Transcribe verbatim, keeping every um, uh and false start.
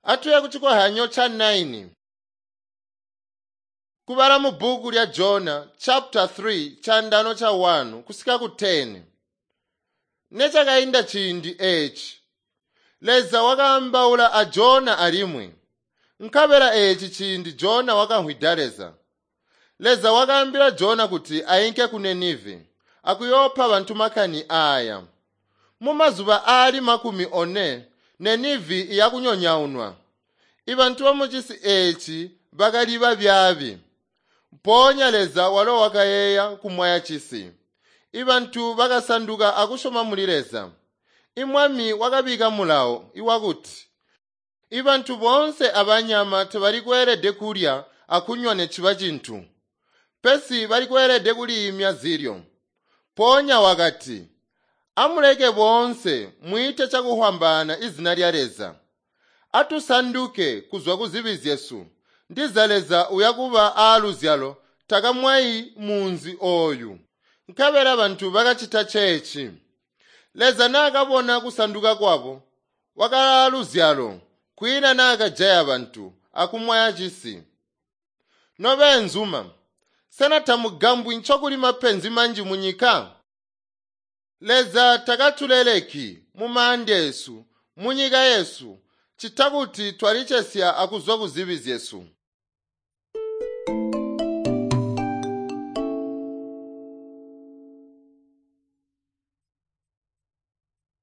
Atuye kuchikohanyo cha nine. Kubala mu bhuku lya Jona chapter three chandano cha one kusika ku ten. Nechakayinda ciindi eeci, Leza wakaambaula a Jona alimwi. Nkabela eeci ciindi Jona wakamvwida Leza. Leza wakaambila Jona kuti ainke ku Ninive akuyoopa bantu makani aaya. Mumazuba aali makumi one Ninive iyakunyonyaunwa. Ibantu bamucisi eeci bakali babyaabi. Mpoonya Leza walo wakayeeya kumwaya cisi. Ibantu bakasanduka akusyoma muli Leza. Imwami wakabika mulawo iwakuti ibantu boonse abanyama tabali kweelede kulya akunywa neciba cintu, pesi bali kweelede kuliimya zilyo. Mpoonya wakati, amuleke boonse mwiite cakuhwambaana izina lya Leza. Atusanduke kuzwa kuzibi zyesu. Ndiza Leza uyakuba aaluzyalo takamwayi munzi ooyu. Nkabela bantu bakacita ceeci. Leza naakabona kusanduka kwabo, wakalaaluzyalo, kwiina naakajaya bantu akumwaya cisi. Nobeenzuma, sena tamugambwi ncokuli mapenzi manji munyika? Leza takatuleleki mumaanda esu, munyika yesu, ccita kuti twalicesya akuzwa kuzibi zyesu.